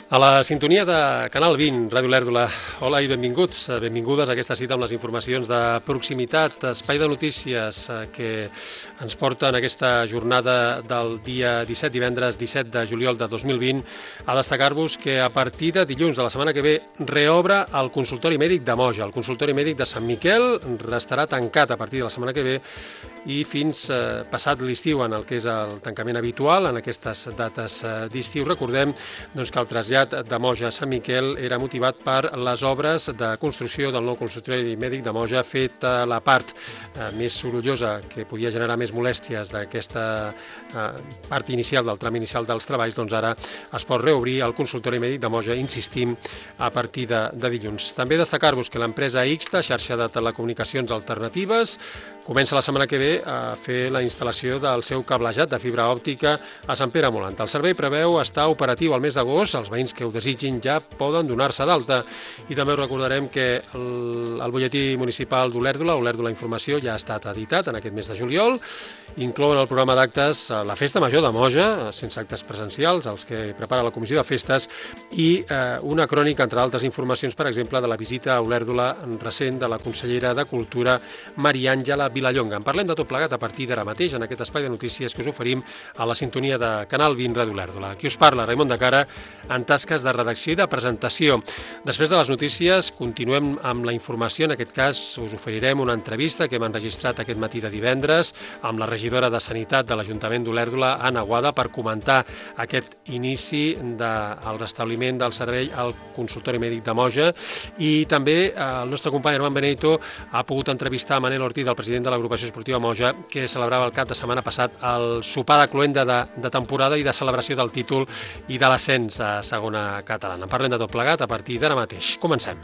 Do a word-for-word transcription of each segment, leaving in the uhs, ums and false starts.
A la sintonia de Canal vint, Ràdio Olèrdola. Hola i benvinguts, benvingudes a aquesta cita amb les informacions de proximitat, espai de notícies que ens porten aquesta jornada del dia disset, divendres disset de juliol de dos mil vint, a destacar-vos que a partir de dilluns de la setmana que ve reobre el consultori mèdic de Moja. El consultori mèdic de Sant Miquel restarà tancat a partir de la setmana que ve i fins eh, passat l'estiu, en el que és el tancament habitual, en aquestes dates eh, d'estiu. Recordem doncs, que el trasllat de Moja a Sant Miquel era motivat per les obres de construcció del nou consultori mèdic de Moja, fet a la part eh, més sorollosa, que podia generar més molèsties d'aquesta eh, part inicial, del tram inicial dels treballs, doncs ara es pot reobrir el consultori mèdic de Moja, insistim, a partir de, de dilluns. També destacar-vos que l'empresa Ixta, xarxa de telecomunicacions alternatives, comença la setmana que ve a fer la instal·lació del seu cablejat de fibra òptica a Sant Pere Molant. El servei preveu estar operatiu al mes d'agost. Els veïns que ho desitgin ja poden donar-se d'alta. I també us recordarem que el, el butlletí municipal d'Olèrdola, Olèrdola Informació, ja ha estat editat en aquest mes de juliol. Inclouen el programa d'actes la Festa Major de Moja, sense actes presencials, els que prepara la Comissió de Festes, i eh, una crònica, entre altres informacions, per exemple, de la visita a Olèrdola recent de la consellera de Cultura, Maria Àngela Vilallonga. En parlem de tot plegat a partir d'ara mateix en aquest espai de notícies que us oferim a la sintonia de Canal vint Ràdio Olèrdola. Aquí us parla Raimon de Cara en tasques de redacció i de presentació. Després de les notícies continuem amb la informació. En aquest cas us oferirem una entrevista que hem enregistrat aquest matí de divendres amb la regidora de Sanitat de l'Ajuntament d'Olèrdola, Anna Boada, per comentar aquest inici del restabliment del servei al consultori mèdic de Moja. I també el nostre company Armand Benito ha pogut entrevistar Manel Ortiz, el president de l'agrupació esportiva Moja, que celebrava el cap de setmana passat el sopar de cloenda de, de temporada i de celebració del títol i de l'ascens a segona catalana. En parlem de tot plegat a partir d'ara mateix. Comencem.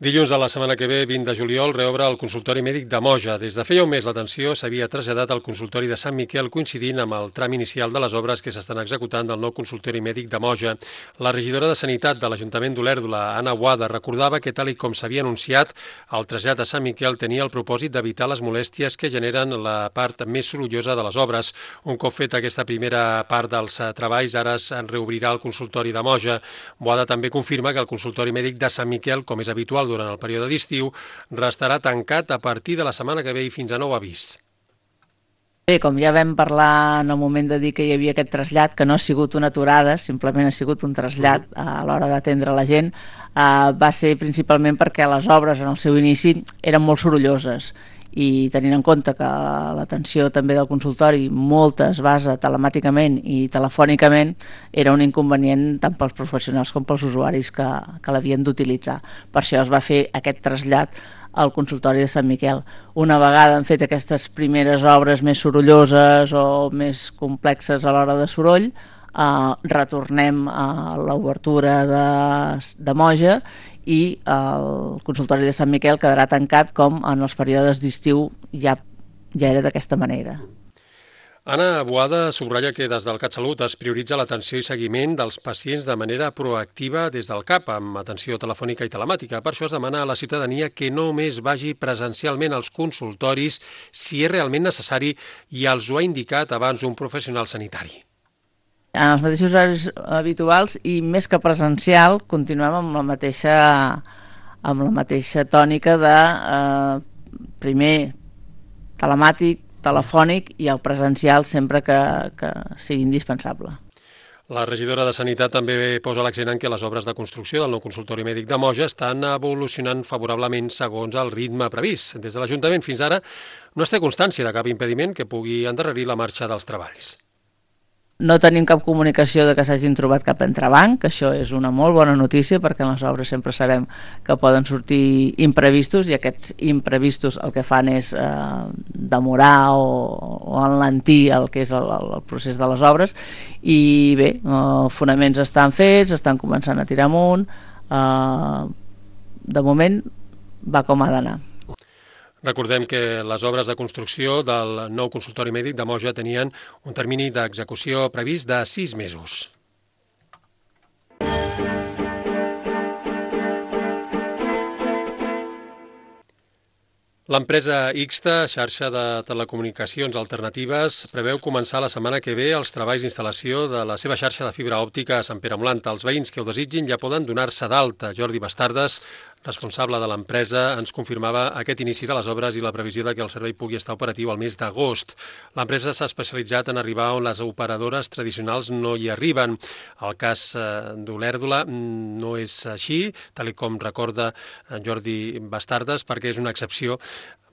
Dilluns de la setmana que ve, vint de juliol, reobre el consultori mèdic de Moja. Des de feia un mes l'atenció s'havia traslladat al consultori de Sant Miquel, coincidint amb el tram inicial de les obres que s'estan executant del nou consultori mèdic de Moja. La regidora de Sanitat de l'Ajuntament d'Olèrdola, Anna Boada, recordava que, tal i com s'havia anunciat, el trasllat a Sant Miquel tenia el propòsit d'evitar les molèsties que generen la part més sorollosa de les obres. Un cop feta aquesta primera part dels treballs, ara es reobrirà el consultori de Moja. Boada també confirma que el consultori mèdic de Sant Miquel, com és habitual durant el període d'estiu, restarà tancat a partir de la setmana que ve i fins a nou avís. Bé, com ja vam parlar en el moment de dir que hi havia aquest trasllat, que no ha sigut una aturada, simplement ha sigut un trasllat a l'hora d'atendre la gent, eh, va ser principalment perquè les obres en el seu inici eren molt sorolloses, i tenint en compte que l'atenció també del consultori molta es basa telemàticament i telefònicament, era un inconvenient tant pels professionals com pels usuaris que, que l'havien d'utilitzar. Per això es va fer aquest trasllat al consultori de Sant Miquel. Una vegada han fet aquestes primeres obres més sorolloses o més complexes a l'hora de soroll, Uh, retornem a l'obertura de, de Moja i el consultori de Sant Miquel quedarà tancat com en els períodes d'estiu ja, ja era d'aquesta manera. Anna Boada subratlla que des del CatSalut es prioritza l'atenció i seguiment dels pacients de manera proactiva des del C A P, amb atenció telefònica i telemàtica. Per això es demana a la ciutadania que només vagi presencialment als consultoris si és realment necessari i els ho ha indicat abans un professional sanitari. En els mateixos horaris habituals i més que presencial continuem amb la mateixa, amb la mateixa tònica de eh, primer telemàtic, telefònic i el presencial sempre que, que sigui indispensable. La regidora de Sanitat també posa l'accent en que les obres de construcció del nou consultori mèdic de Moja estan evolucionant favorablement segons el ritme previst. Des de l'Ajuntament fins ara no es té constància de cap impediment que pugui endarrerir la marxa dels treballs. No tenim cap comunicació de que s'hagin trobat cap entrebanc, això és una molt bona notícia perquè en les obres sempre sabem que poden sortir imprevistos i aquests imprevistos el que fan és eh, demorar o, o enlentir el que és el, el procés de les obres i bé, els fonaments estan fets, estan començant a tirar amunt, eh, de moment va com ha d'anar. Recordem que les obres de construcció del nou consultori mèdic de Moja tenien un termini d'execució previst de sis mesos. L'empresa Ixta, xarxa de telecomunicacions alternatives, preveu començar la setmana que ve els treballs d'instal·lació de la seva xarxa de fibra òptica a Sant Pere Molanta. Els veïns que ho desitgin ja poden donar-se d'alta. Jordi Bastardes, responsable de l'empresa, ens confirmava aquest inici de les obres i la previsió de que el servei pugui estar operatiu al mes d'agost. L'empresa s'ha especialitzat en arribar on les operadores tradicionals no hi arriben. El cas d'Olèrdola no és així, tal com recorda Jordi Bastardes, perquè és una excepció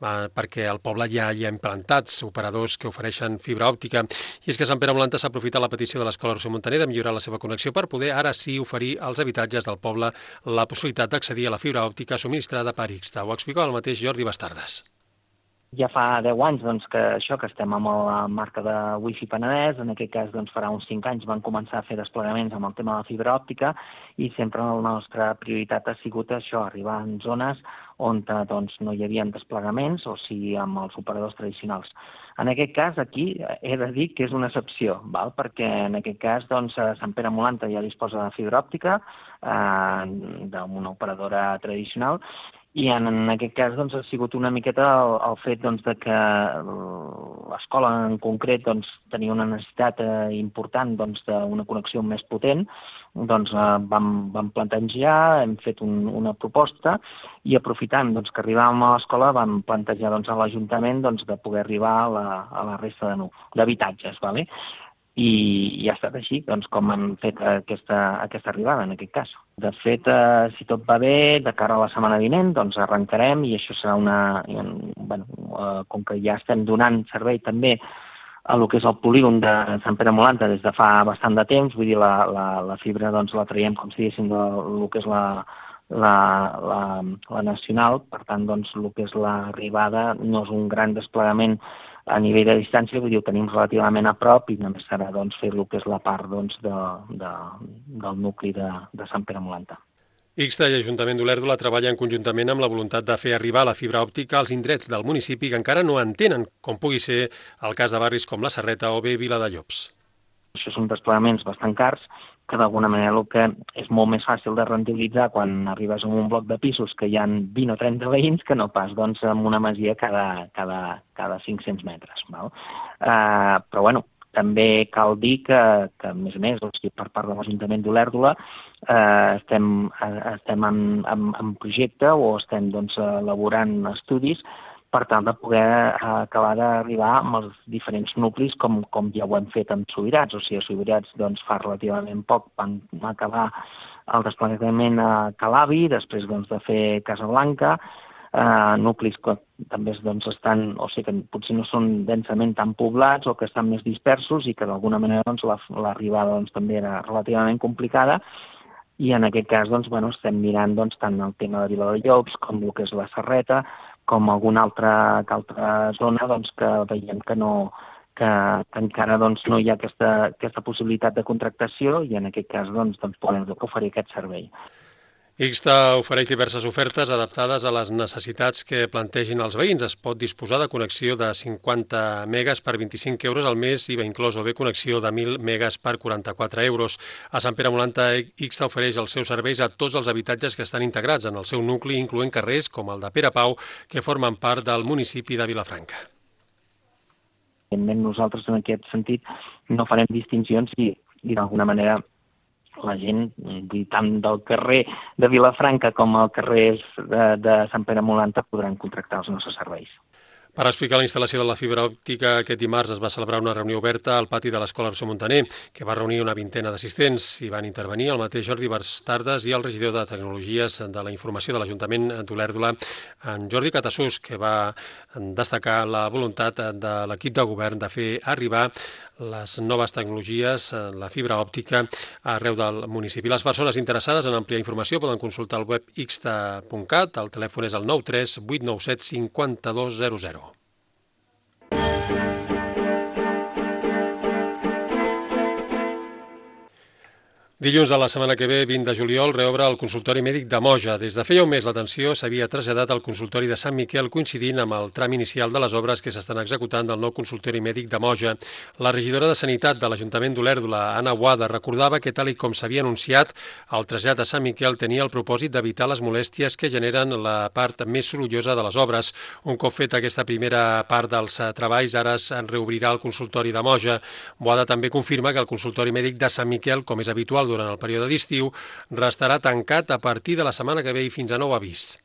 perquè al poble ja hi ha implantats operadors que ofereixen fibra òptica. I és que Sant Pere Molanta s'ha aprofitat la petició de l'Escola Roser Montaner de millorar la seva connexió per poder ara sí oferir als habitatges del poble la possibilitat d'accedir a la fibra òptica subministrada per Ixta. Ho explicava el mateix Jordi Bastardes. Ja fa deu anys doncs, que això que estem amb la marca de Wi-Fi Penedès, en aquest cas doncs, farà uns cinc anys van començar a fer desplegaments amb el tema de la fibra òptica i sempre la nostra prioritat ha sigut això, arribar en zones on doncs, no hi havia desplegaments o sigui amb els operadors tradicionals. En aquest cas, aquí he de dir que és una excepció, val? Perquè en aquest cas doncs, Sant Pere Molanta ja disposa de fibra òptica eh, d'una operadora tradicional i en, en aquest cas doncs, ha sigut una miqueta el, el fet doncs, de que l'escola en concret doncs, tenia una necessitat eh, important doncs, d'una connexió més potent, doncs eh, vam, vam plantejar, hem fet un, una proposta i aprofitant doncs, que arribàvem a l'escola vam plantejar doncs, a l'Ajuntament doncs, de poder arribar a la, a la resta d'habitatges. Vale? I, i ha estat així doncs, com han fet aquesta, aquesta arribada en aquest cas. De fet, eh, si tot va bé, de cara a la setmana vinent, doncs arrencarem i això serà una... Bueno, eh, com que ja estem donant servei també a lo que és el polígon de Sant Pere Molanta des de fa bastant de temps, vull dir, la, la, la fibra doncs, la traiem, com si diguéssim, del que és la, la, la, la nacional, per tant, doncs, el que és l'arribada no és un gran desplegament a nivell de distància, vull dir, ho tenim relativament a prop i només serà doncs, fer el que és la part doncs, de, de, del nucli de, de Sant Pere Molanta. Ixta i Ajuntament d'Olèrdola treballen conjuntament amb la voluntat de fer arribar la fibra òptica als indrets del municipi que encara no en tenen, com pugui ser el cas de barris com la Serreta o bé Viladallops. Això són desplegaments bastant cars, que d'alguna manera el que és molt més fàcil de rendibilitzar quan arribes a un bloc de pisos que hi ha vint o trenta veïns que no pas doncs, en una masia cada, cada, cada cinc-cents metres. Val? Uh, però bueno, també cal dir que, que a més a més, o sigui, per part de l'Ajuntament d'Olèrdola, eh, estem, estem en, en, en projecte o estem doncs, elaborant estudis per tal de poder acabar d'arribar amb els diferents nuclis com, com ja ho hem fet amb Subirats. O sigui, a Subirats doncs, fa relativament poc van acabar el desplegament a Calavi, després doncs, de fer Casablanca, eh, nuclis que també doncs, estan, o sigui, que potser no són densament tan poblats o que estan més dispersos i que d'alguna manera doncs, l'arribada doncs, també era relativament complicada. I en aquest cas doncs, bueno, estem mirant doncs, tant el tema de Viladallops com el que és la Serreta, com alguna altra, altra zona doncs, que veiem que, no, que, que encara doncs, no hi ha aquesta, aquesta possibilitat de contractació i en aquest cas doncs, doncs, podem oferir aquest servei. Ixta ofereix diverses ofertes adaptades a les necessitats que plantegin els veïns. Es pot disposar de connexió de cinquanta megas per vint-i-cinc euros al mes i va inclòs o bé connexió de mil megas per quaranta-quatre euros. A Sant Pere Molanta, Ixta ofereix els seus serveis a tots els habitatges que estan integrats en el seu nucli, incloent carrers com el de Pere Pau, que formen part del municipi de Vilafranca. Nosaltres en aquest sentit no farem distincions i, i d'alguna manera la gent, tant del carrer de Vilafranca com el carrer de, de Sant Pere Molanta podran contractar els nostres serveis. Per explicar la instal·lació de la fibra òptica, aquest dimarts es va celebrar una reunió oberta al pati de l'Escola Roser Montaner, que va reunir una vintena d'assistents. Hi van intervenir el mateix Jordi Bastardes i el regidor de Tecnologies de la Informació de l'Ajuntament d'Olèrdola, en Jordi Catassús, que va destacar la voluntat de l'equip de govern de fer arribar les noves tecnologies, la fibra òptica, arreu del municipi. Les persones interessades en ampliar informació poden consultar el web ixta punt cat, el telèfon és el nou tres vuit nou set cinc dos zero zero. Dilluns de la setmana que ve, vint de juliol, reobre el consultori mèdic de Moja. Des de feia un mes l'atenció s'havia traslladat al consultori de Sant Miquel, coincidint amb el tram inicial de les obres que s'estan executant del nou consultori mèdic de Moja. La regidora de Sanitat de l'Ajuntament d'Olèrdola, Anna Boada, recordava que, tal i com s'havia anunciat, el trasllat a Sant Miquel tenia el propòsit d'evitar les molèsties que generen la part més sorollosa de les obres. Un cop feta aquesta primera part dels treballs, ara es reobrirà el consultori de Moja. Boada també confirma que el consultori mèdic de Sant Miquel, com és habitual durant el període d'estiu, restarà tancat a partir de la setmana que ve i fins a nou avís.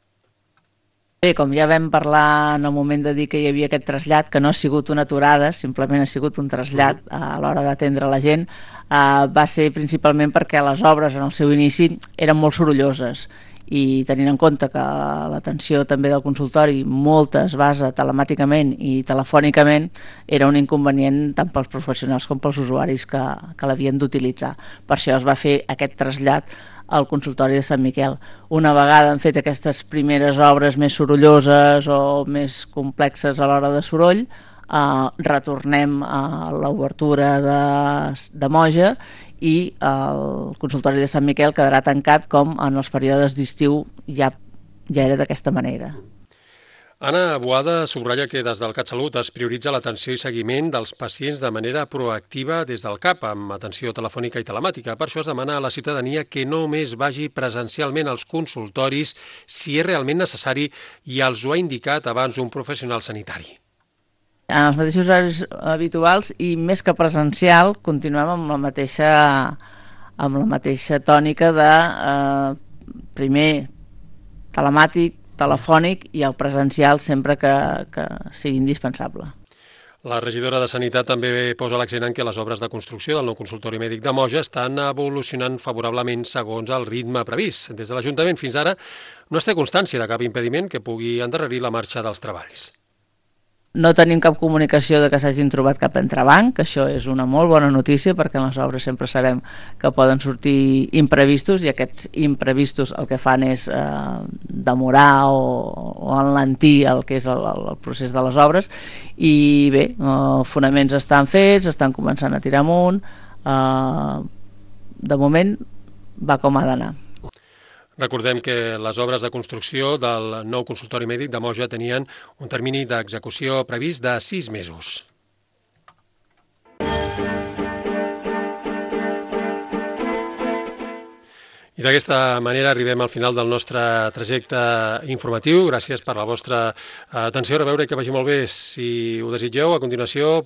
Bé, com ja vam parlar en el moment de dir que hi havia aquest trasllat, que no ha sigut una aturada, simplement ha sigut un trasllat a l'hora d'atendre la gent, eh, va ser principalment perquè les obres en el seu inici eren molt sorolloses, i tenint en compte que l'atenció també del consultori molta es basa telemàticament i telefònicament, era un inconvenient tant pels professionals com pels usuaris que, que l'havien d'utilitzar. Per això es va fer aquest trasllat al consultori de Sant Miquel. Una vegada han fet aquestes primeres obres més sorolloses o més complexes a l'hora de soroll, Uh, retornem a l'obertura de, de Moja i el consultori de Sant Miquel quedarà tancat com en els períodes d'estiu ja, ja era d'aquesta manera. Anna Boada subratlla que des del CatSalut es prioritza l'atenció i seguiment dels pacients de manera proactiva des del C A P, amb atenció telefònica i telemàtica. Per això es demana a la ciutadania que només vagi presencialment als consultoris si és realment necessari i els ho ha indicat abans un professional sanitari. En els mateixos horaris habituals i més que presencial continuem amb la mateixa, amb la mateixa tònica de eh, primer telemàtic, telefònic i el presencial sempre que, que sigui indispensable. La regidora de Sanitat també posa l'accent en que les obres de construcció del nou consultori mèdic de Moja estan evolucionant favorablement segons el ritme previst. Des de l'Ajuntament fins ara no es té constància de cap impediment que pugui endarrerir la marxa dels treballs. No tenim cap comunicació de que s'hagin trobat cap entrebanc, això és una molt bona notícia perquè en les obres sempre sabem que poden sortir imprevistos i aquests imprevistos el que fan és eh, demorar o, o enlentir el que és el, el procés de les obres i bé, els fonaments estan fets, estan començant a tirar amunt, eh, de moment va com ha d'anar. Recordem que les obres de construcció del nou consultori mèdic de Moja tenien un termini d'execució previst de sis mesos. I d'aquesta manera arribem al final del nostre trajecte informatiu. Gràcies per la vostra atenció. A veure que vagi molt bé. Si ho desitgeu, a continuació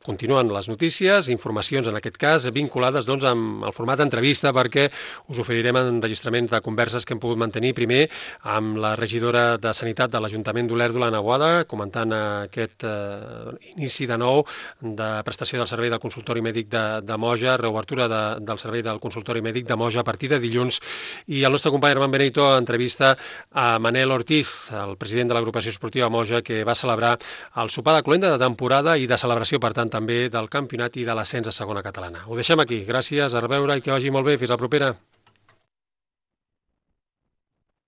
continuen les notícies, informacions en aquest cas, vinculades doncs, amb el format entrevista perquè us oferirem enregistraments de converses que hem pogut mantenir primer amb la regidora de Sanitat de l'Ajuntament d'Olèrdola, Anna Boada, comentant aquest eh, inici de nou de prestació del servei del consultori mèdic de, de Moja, reobertura de, del servei del consultori mèdic de Moja a partir de dilluns. I el nostre company Herman Benito entrevista a Manel Ortiz, el president de l'agrupació esportiva Moja, que va celebrar el sopar de cloenda de temporada i de celebració, per tant, també del campionat i de l'ascens a segona catalana. Ho deixem aquí. Gràcies, a reveure i que vagi molt bé. Fins la propera.